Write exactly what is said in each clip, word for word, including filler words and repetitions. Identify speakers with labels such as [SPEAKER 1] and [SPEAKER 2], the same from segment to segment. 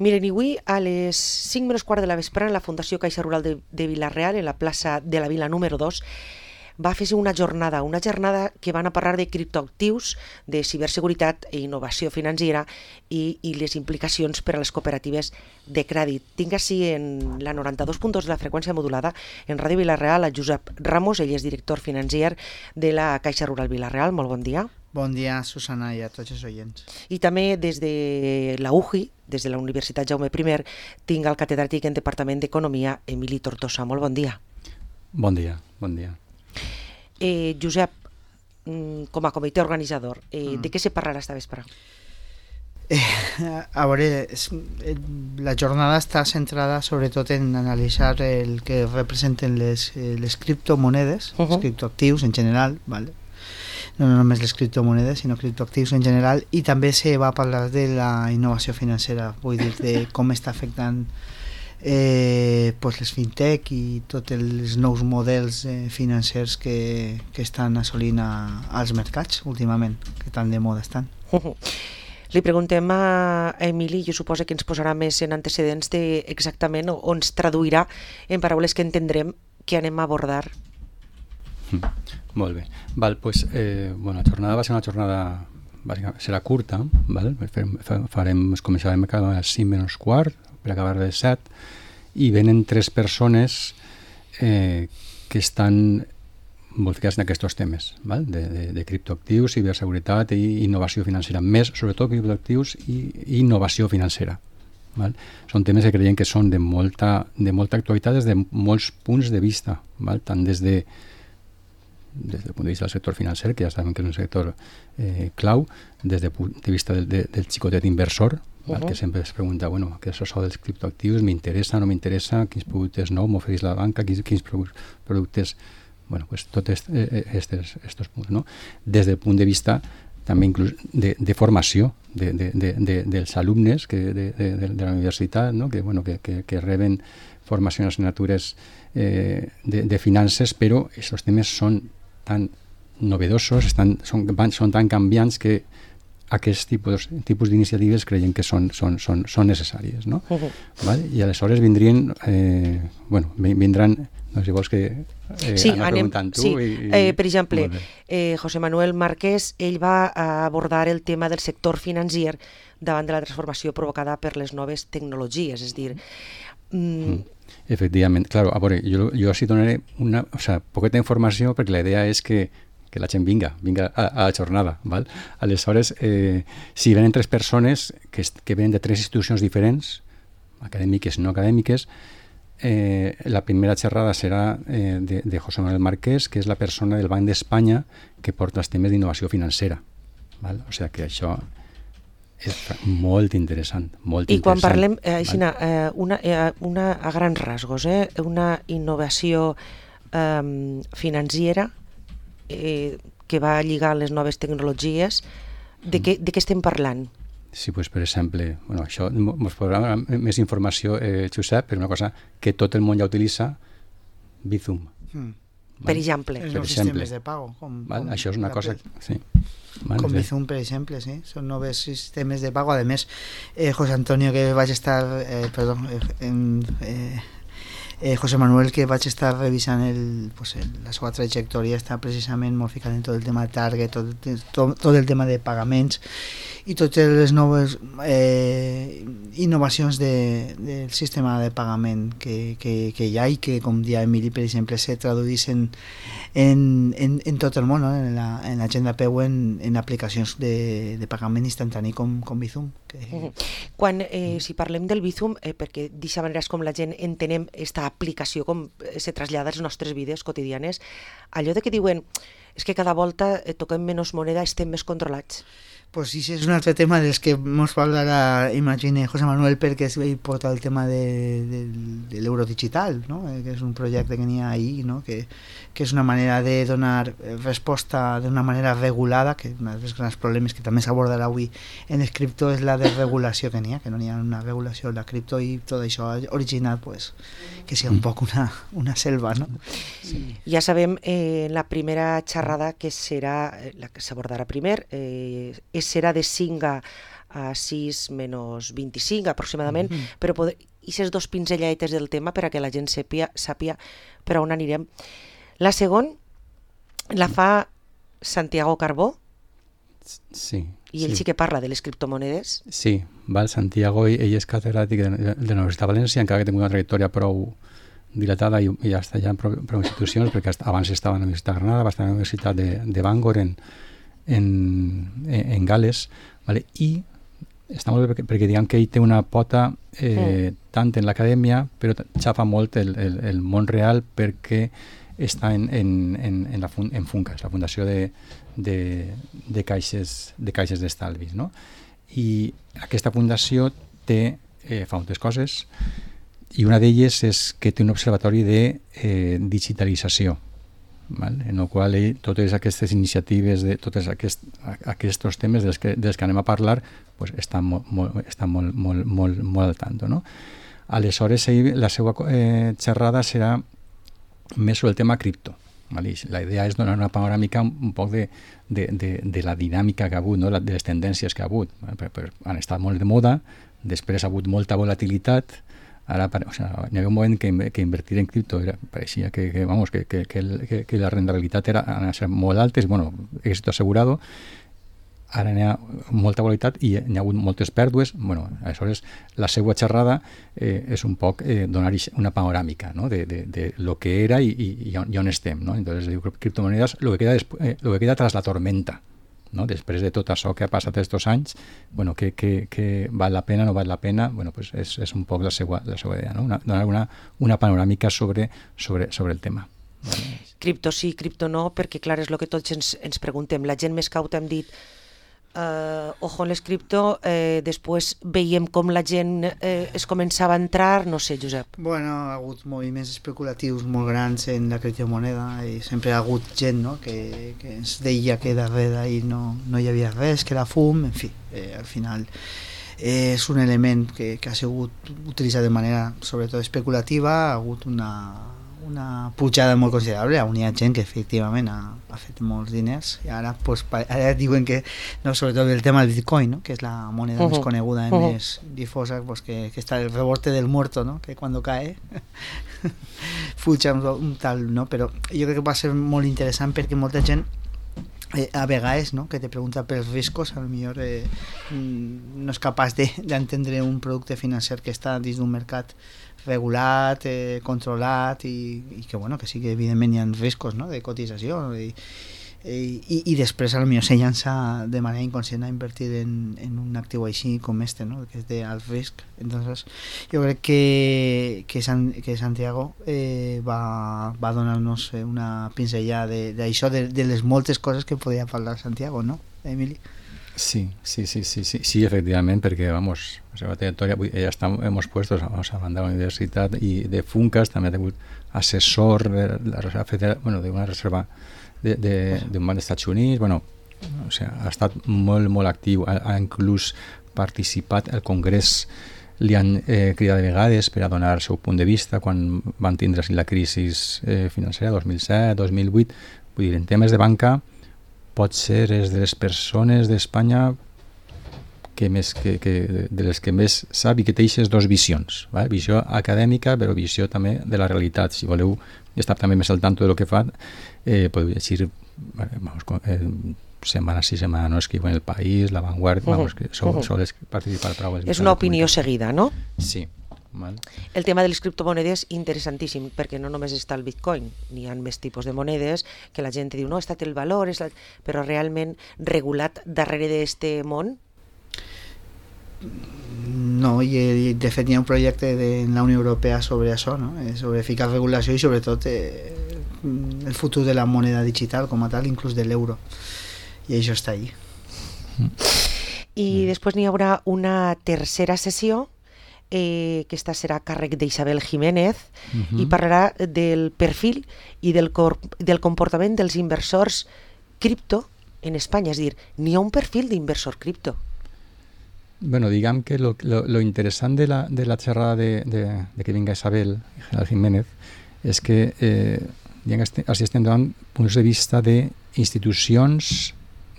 [SPEAKER 1] Miren, i avui a les cinc menys quart de la vesprada en la Fundació Caixa Rural de, de Vila-real, en la plaça de la Vila número dos, va fer-se una jornada, una jornada que van a parlar de criptoactius, de ciberseguretat i innovació financera i, i les implicacions per a les cooperatives de crèdit. Tinc així en la noranta-dos punt dos de la freqüència modulada en Ràdio Vila-real a Josep Ramos, ell és director financer de la Caixa Rural Vila-real. Molt bon dia.
[SPEAKER 2] Bon dia, Susana, i a tots els oients.
[SPEAKER 1] I també des de la U J I, des de la Universitat Jaume I, tinc el catedràtic en Departament d'Economia, Emili Tortosa. Molt bon dia.
[SPEAKER 3] Bon dia, bon dia.
[SPEAKER 1] Eh, Josep, com a comitè organitzador, eh, mm. de què se parlarà esta vespre?
[SPEAKER 2] Eh, a veure, és, la jornada està centrada sobretot en analitzar el que representen les, les criptomonedes, uh -huh. els criptoactius en general, ¿vale? No només les criptomonedes, sinó criptoactius en general, i també se va parlar de la innovació financera, vull dir, de com està afectant eh, pues les fintech i tots els nous models eh, financers que, que estan assolint a, als mercats últimament, que tan de moda estan.
[SPEAKER 1] Li preguntem a Emili, jo suposo que ens posarà més en antecedents de exactament o, o ens traduirà en paraules que entendrem que anem a abordar.
[SPEAKER 3] Mm. Molt bé. Val, pues, eh, bueno, la jornada va ser una jornada, serà curta, val? Farem, començarem a les cinc menys quart, per acabar a les set, i venen tres persones eh, que estan molt ficats en aquests temes, val? De, de, de criptoactius, ciberseguretat i innovació financera, més sobretot criptoactius i, i innovació financera. Val? Són temes que creiem que són de molta, de molta actualitat des de molts punts de vista, val? Tant des de des del punt de vista del sector financer, que ja sabem que és un sector eh, clau, des del punt de vista del, de, del xicotet inversor, uh -huh. que sempre es pregunta, bueno, què és això dels criptoactius, m'interessa, no m'interessa, quins productes nous m'ofereix la banca, quins, quins productes, bueno, pues tots estos, estos punts, no? Des del punt de vista també inclús de, de formació de, de, de, de, dels alumnes que, de, de, de la universitat, no? que, bueno, que, que, que reben formació en assignatures eh, de, de finances, però aquests temes són tan novedosos, estan, són, van, són tan canviants que aquests tipus, tipus d'iniciatives creiem que són, són, són, són necessàries, no? Uh-huh. Vale? I aleshores vindrien, eh, bueno, vindran, no sé si vols que eh,
[SPEAKER 1] sí,
[SPEAKER 3] anar
[SPEAKER 1] anem,
[SPEAKER 3] preguntant tu.
[SPEAKER 1] Sí.
[SPEAKER 3] I, i,
[SPEAKER 1] eh, per exemple, eh, José Manuel Márquez, ell va abordar el tema del sector financer davant de la transformació provocada per les noves tecnologies, és dir... Mm,
[SPEAKER 3] mm. Efectivament, claro, a veure, jo, jo així donaré una, o sea, poqueta informació perquè la idea és que, que la gent vinga, vinga a, a la jornada, val? Aleshores, eh, si venen tres persones que, que venen de tres institucions diferents, acadèmiques i no acadèmiques, eh, la primera xerrada serà eh, de, de José Manuel Márquez, que és la persona del Banc d'Espanya que porta els temes d'innovació financera, val? O sigui que això és molt interessant, molt
[SPEAKER 1] I quan
[SPEAKER 3] interessant.
[SPEAKER 1] parlem, eh, Aixina, eh, una, eh, una, a grans rasgos, eh, una innovació eh, financera eh, que va lligar les noves tecnologies, de, mm. què, de què estem parlant?
[SPEAKER 3] Sí, pues, per exemple, bueno, això ens podrà donar més informació, eh, Josep, per una cosa que tot el món ja utilitza, Bizum.
[SPEAKER 2] Mm.
[SPEAKER 1] Per exemple.
[SPEAKER 2] Els
[SPEAKER 3] per
[SPEAKER 2] nous
[SPEAKER 3] exemple.
[SPEAKER 2] sistemes de pago. Com,
[SPEAKER 3] Val?
[SPEAKER 2] com
[SPEAKER 3] Això és una cosa... Sí.
[SPEAKER 2] Val, com Bizum, per exemple, sí. Són nous sistemes de pago. A més, eh, José Antonio, que vaig estar... Eh, perdó, eh, en, eh, eh, José Manuel, que vaig estar revisant el, pues, el, la seva trajectòria, està precisament molt ficat en tot el tema de target, tot, tot, tot el tema de pagaments i totes les noves eh, innovacions de, del sistema de pagament que, que, que hi ha i que, com dia Emili, per exemple, se traduïssin en, en, en tot el món, no? en, la, en la gent de peu en, en aplicacions de, de pagament instantani com, com Bizum. Que...
[SPEAKER 1] Uh-huh. Quan, eh, si parlem del Bizum, eh, perquè d'aquesta manera és com la gent entenem aquesta aplicació, com se trasllada als nostres vides quotidianes, allò de que diuen és que cada volta eh, toquem menys moneda, estem més controlats.
[SPEAKER 2] Pues sí, és un altre tema dels que ens parlarà, imagine, José Manuel, perquè ell porta el tema de, de, de l'euro digital, no? Que és un projecte que n'hi ha ahí, no? que, que és una manera de donar resposta d'una manera regulada, que un dels grans problemes que també s'abordarà avui en el cripto és la desregulació que n'hi ha, que no n'hi ha una regulació en la cripto i tot això ha originat pues, que sigui un poc una, una selva, no?
[SPEAKER 1] Sí. Ja sabem, eh, la primera xerrada que serà, la que s'abordarà primer, eh, serà de cinc a, a sis menys vint-i-cinc aproximadament, mm-hmm. però poder, aquestes dos pinzelladetes del tema per a que la gent sàpia, sàpia per on anirem. La segona la fa Santiago Carbó,
[SPEAKER 3] sí,
[SPEAKER 1] i ell sí. sí que parla de les criptomonedes.
[SPEAKER 3] Sí, val, Santiago, ell és catedràtic de, de, de la Universitat de València, encara que té una trajectòria prou dilatada i, i ja està ja en prou, prou institucions, perquè abans estava a la Universitat de Granada, va estar a la Universitat de, de Bangor en, en, en Gales, vale? I està molt bé perquè, perquè diguem que ell té una pota eh, mm. tant en l'acadèmia, però xafa molt el, el, el món real perquè està en, en, en, en, la fun, en Funcas, la fundació de, de, de caixes de caixes d'estalvis, no? I aquesta fundació té, eh, fa moltes coses, i una d'elles és que té un observatori de eh, digitalització, val? En el qual ell, totes aquestes iniciatives, de tots aquest, aquests temes dels que, dels que anem a parlar, pues, estan, molt, molt, estan molt, molt, molt, molt al tanto, no? Aleshores, ell, la seva eh, xerrada serà més sobre el tema cripto. Vale? La idea és donar una panoràmica un, un poc de, de, de, de la dinàmica que ha hagut, no? De les tendències que ha hagut. Vale? Per, per, han estat molt de moda, després ha hagut molta volatilitat, ara, o sea, hi havia un moment que, que invertir en cripto era, pareixia que, que, vamos, que, que, que, el, que, que la rendibilitat era a ser molt altes, bueno, èxito asegurado. Ara hi ha molta volatilitat i hi ha hagut moltes pèrdues. Bueno, aleshores, la seva xerrada eh, és un poc eh, donar una panoràmica, no? de, de, de lo que era i, i, i, on, i on estem. No? Entonces, diu, criptomonedes, lo que queda, eh, lo que queda tras la tormenta, no? Després de tot això que ha passat estos anys, bueno, que, que, que val la pena, no val la pena, bueno, pues és, és un poc la seva, la seva idea, no? Una, donar una, una panoràmica sobre, sobre, sobre el tema. Vale.
[SPEAKER 1] Cripto sí, cripto no, perquè clar, és el que tots ens, ens preguntem. La gent més cauta hem dit Uh, ojo en les cripto, eh, després veiem com la gent eh, es començava a entrar, no sé, Josep.
[SPEAKER 2] Bueno, ha hagut moviments especulatius molt grans en la criptomoneda i sempre ha hagut gent, no? que, que ens deia que darrere i no, no hi havia res, que era fum, en fi, eh, al final eh, és un element que, que ha sigut utilitzat de manera sobretot especulativa, ha hagut una una pujada molt considerable, on hi ha gent que efectivament ha, ha fet molts diners i ara, pues, ara diuen que no, sobretot el tema del Bitcoin, no? Que és la moneda uh-huh. més coneguda i uh-huh. més difosa, pues, que, que està el rebote del muerto, no? Que quan cae fuja un, un tal, no? Però jo crec que va ser molt interessant perquè molta gent eh, a vegades, no? Que te pregunta pels riscos, a lo millor eh, no és capaç d'entendre de, un producte financer que està dins d'un mercat regulat, eh, controlat i, i que, bueno, que sí que evidentment hi ha riscos, no? De cotització i, i, i després a lo millor se llança de manera inconscient a invertir en, en un actiu així com este, no? Que és de alt risc. Entonces jo crec que, que, San, que Santiago eh, va, va donar-nos una pinzellada d'això, de, de, de les moltes coses que podia parlar Santiago, no, Emili?
[SPEAKER 3] Sí, sí, sí, sí, sí, sí, efectivament, perquè, vamos, la seva trajectòria, ja estamos puestos, vamos, a banda de la universitat i de Funcas, també ha tingut assessor de la Reserva Federal, bueno, d'una reserva d'un banc dels Estats Units, bueno, o sea, ha estat molt, molt actiu, ha, ha inclús participat al Congrés, li han eh, cridat de vegades per a donar el seu punt de vista quan van tindre la crisi eh, financera dos mil set, dos mil vuit, vull dir, en temes de banca pot ser és de les persones d'Espanya que més, que, que, de les que més sap i que té aquestes dues visions, ¿vale? Visió acadèmica però visió també de la realitat. Si voleu estar també més al tanto de lo que fa, eh, podeu llegir vamos, eh, setmana sí, setmana no, escriu en El País, La Vanguardia, uh-huh. vamos, que sol, uh-huh. sols participar prou.
[SPEAKER 1] És una opinió seguida, no?
[SPEAKER 3] Sí. Mal.
[SPEAKER 1] El tema de les criptomonedes interessantíssim, perquè no només està el Bitcoin, n'hi ha més tipus de monedes que la gent diu, no, està el valor, és la... però realment regulat darrere d'aquest món?
[SPEAKER 2] No, i, i de fet hi ha un projecte de la Unió Europea sobre això, no? Sobre ficar regulació i sobretot eh, el futur de la moneda digital com a tal, inclús de l'euro, i això està allí.
[SPEAKER 1] I mm. després n'hi haurà una tercera sessió, Eh, que esta serà a càrrec d'Isabel Jiménez uh-huh. i parlarà del perfil i del, cor- del comportament dels inversors cripto en Espanya, és a dir, n'hi ha un perfil d'inversor cripto.
[SPEAKER 3] Bueno, diguem que lo, lo, lo interessant de la, de la xerrada de, de, de que vinga Isabel Jiménez és que eh, així estem davant punts de vista d'institucions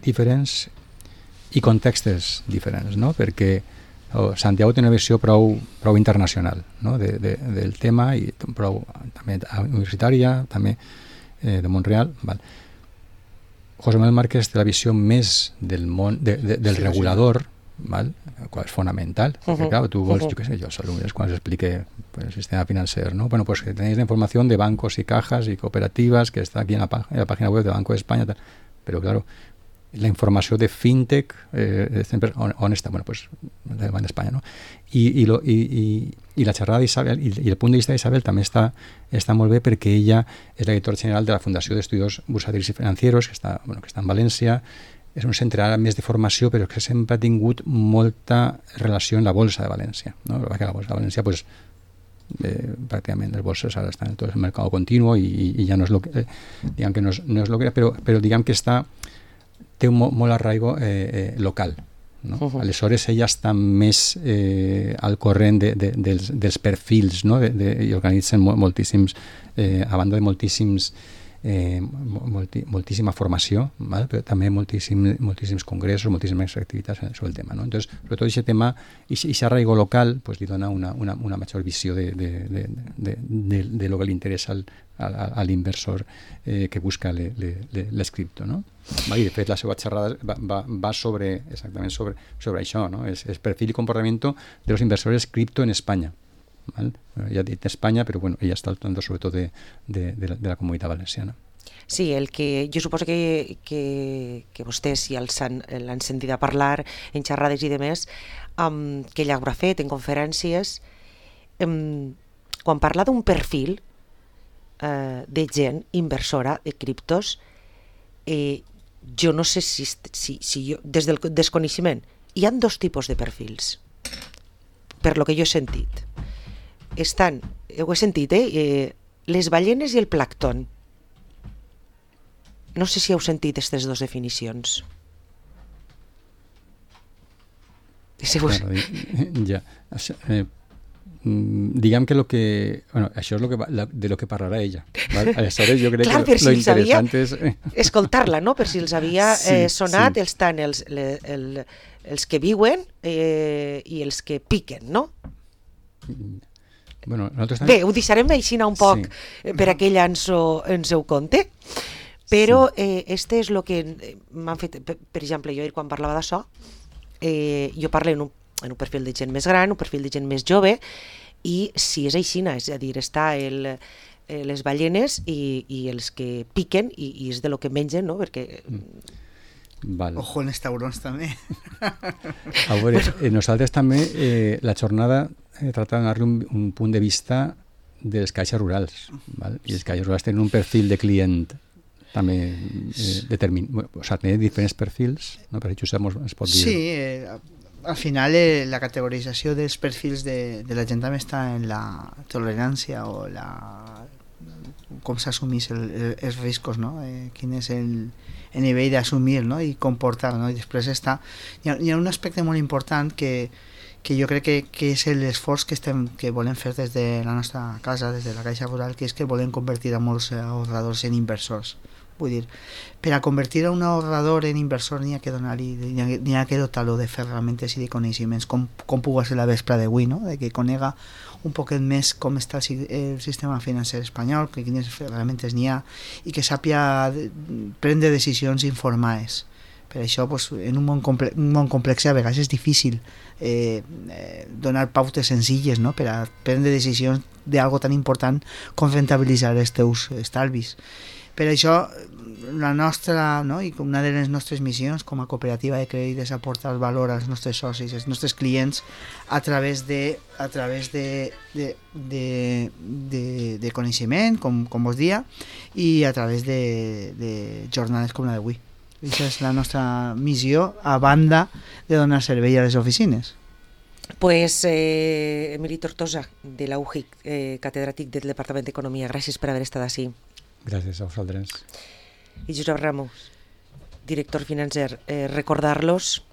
[SPEAKER 3] diferents i contextes diferents, no? Perquè oh, Santiago té una visió prou, prou internacional, no? de, de, del tema i prou també universitària, també eh, de Montreal. Val. José Manuel Márquez té la visió més del món, de, de, del sí, regulador, sí. Val? Qual és fonamental, uh-huh. perquè clar, tu vols, uh-huh. jo què sé, jo als alumnes quan explique pues, el sistema financer, ¿no? Bueno, pues que tenéis la información de bancos y cajas y cooperativas que está aquí en la, en la página web de Banco de España, tal. Pero claro, la informació de fintech eh, on, on està? Bueno, pues del Banc d'Espanya, no? I, i, lo, i, i, i la xerrada d'Isabel i, i el punt de vista d'Isabel també està, està molt bé perquè ella és la directora general de la Fundació d'Estudios Bursàtics i Financieros que està, bueno, que està en València. És un centre ara més de formació, però que sempre ha tingut molta relació amb la Bolsa de València, no? Perquè la Bolsa de València, pues, eh, pràcticament les bolses ara estan en tot el mercat continu i, i, i ja no és lo que, eh, diguem que no és, no és lo que era, però, però diguem que està, té un molt, molt arraigo eh, eh, local, no? Uh-huh. Aleshores ella està més eh, al corrent de, de, dels, dels perfils, no? de, de, i organitzen moltíssims, eh, a banda de moltíssims Eh, molti, moltíssima formació, ¿vale? Però també moltíssim, moltíssims congressos, moltíssimes activitats sobre el tema, ¿no? Entonces, sobretot aquest tema i aquest arraigo local pues, li dona una, una, una major visió de, de, de, de, de, de lo que li interessa al, al, a l'inversor eh, que busca le, le, le, les cripto, no? I de fet la seva xerrada va, va, va sobre exactament sobre, sobre això, no? És, és perfil i comportament de los inversores cripto en Espanya. ¿Vale? Ya dit España, pero bueno, ella está hablando sobre todo de, de, de, la, de la comunitat valenciana.
[SPEAKER 1] Sí, el que jo suposo que, que, que vostès ja l'han sentit a parlar en xerrades i demés, um, que ella haurà fet en conferències, um, quan parla d'un perfil uh, de gent inversora de criptos, eh, jo no sé si, si, si jo, des del desconeixement, hi ha dos tipus de perfils, per lo que jo he sentit. Estan, ho he sentit, eh? eh les ballenes i el plàncton. No sé si heu sentit aquestes dues definicions.
[SPEAKER 3] Claro, ja. Eh, diguem que lo que... Bueno, això és lo que, de lo que parlarà ella. ¿Vale? Aleshores, jo crec Clar, que lo, si lo interessant és...
[SPEAKER 1] escoltar-la, no? Per si els havia eh, sonat,
[SPEAKER 3] sí.
[SPEAKER 1] els tant els, le, el, els que viuen eh, i els que piquen, no?
[SPEAKER 3] Bueno, nosaltres
[SPEAKER 1] també... Bé, ho deixarem així un poc sí. per a que ella ens ho, ens ho conte, però sí. eh, este és el que m'han fet, per, per exemple, jo quan parlava d'això, eh, jo parlo en un, en un perfil de gent més gran, un perfil de gent més jove, i si és així, és a dir, està el, eh, les ballenes i, i els que piquen, i, i és de lo que mengen, no? Perquè...
[SPEAKER 3] Val.
[SPEAKER 2] Ojo en els taurons també.
[SPEAKER 3] A veure, eh, nosaltres també eh, la jornada eh, trata de donar-li un, un punt de vista dels caixes rurals, val? I els caixes rurals tenen un perfil de client també eh, determinat, o sigui, tenen diferents perfils, no? Per això es pot dir...
[SPEAKER 2] Sí, eh, al final eh, la categorització dels perfils de, de la gent també està en la tolerància o la com s'assumís el, el, els riscos, no? Eh, quin és el, el nivell d'assumir, no? I comportar, no? I després està... Hi ha, hi ha un aspecte molt important que, que jo crec que, que és l'esforç que, estem, que volem fer des de la nostra casa, des de la Caixa Rural, que és que volem convertir a molts ahorradors en inversors. Vull dir, per a convertir a un ahorrador en inversor n'hi ha que donar-li, n'hi ha que dotar-lo de ferramentes i de coneixements, com, com puga ser la vespre d'avui, no? De que conega un poquet més com està el, el sistema financer espanyol, que quines ferramentes n'hi ha, i que sàpia prendre decisions informades. Per això, pues, en un món, comple un món complex a vegades és difícil eh, eh, donar pautes senzilles, no? Per a prendre decisions d'algo tan important com rentabilitzar els teus estalvis. Per això, la nostra, no? I una de les nostres missions com a cooperativa de crèdit és aportar valor als nostres socis, als nostres clients, a través de, a través de, de, de, de, de coneixement, com, com vos dia, i a través de, de jornades com la d'avui. Aquesta és la nostra missió, a banda de donar servei a les oficines.
[SPEAKER 1] Pues eh, Emili Tortosa, de la U J I C, eh, catedràtic del Departament d'Economia, gràcies per haver estat així.
[SPEAKER 3] Gràcies a vosaltres.
[SPEAKER 1] I Josep Ramos, director financer, eh, recordar-los...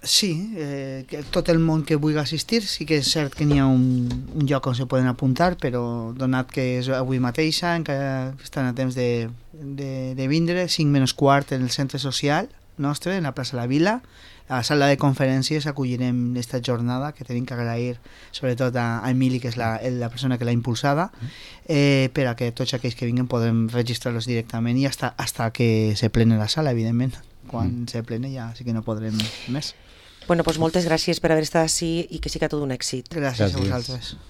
[SPEAKER 2] Sí, eh, que tot el món que vulgui assistir, sí que és cert que n'hi ha un, un lloc on se poden apuntar, però donat que és avui mateixa, encara estan a temps de, de, de vindre, cinc menys quart en el centre social, nostre, en la plaça de la Vila. A la sala de conferències acollirem aquesta jornada, que tenim que agrair sobretot a, a Emili, que és la, la persona que l'ha impulsada, eh, per a que tots aquells que vinguen podem registrar-los directament i hasta, hasta que se plene la sala, evidentment. Quan mm. se plene ja sí que no podrem més.
[SPEAKER 1] Bueno, pues moltes gràcies per haver estat així i que siga tot un èxit.
[SPEAKER 2] Gràcies, gràcies. a
[SPEAKER 3] Gràcies.
[SPEAKER 2] vosaltres.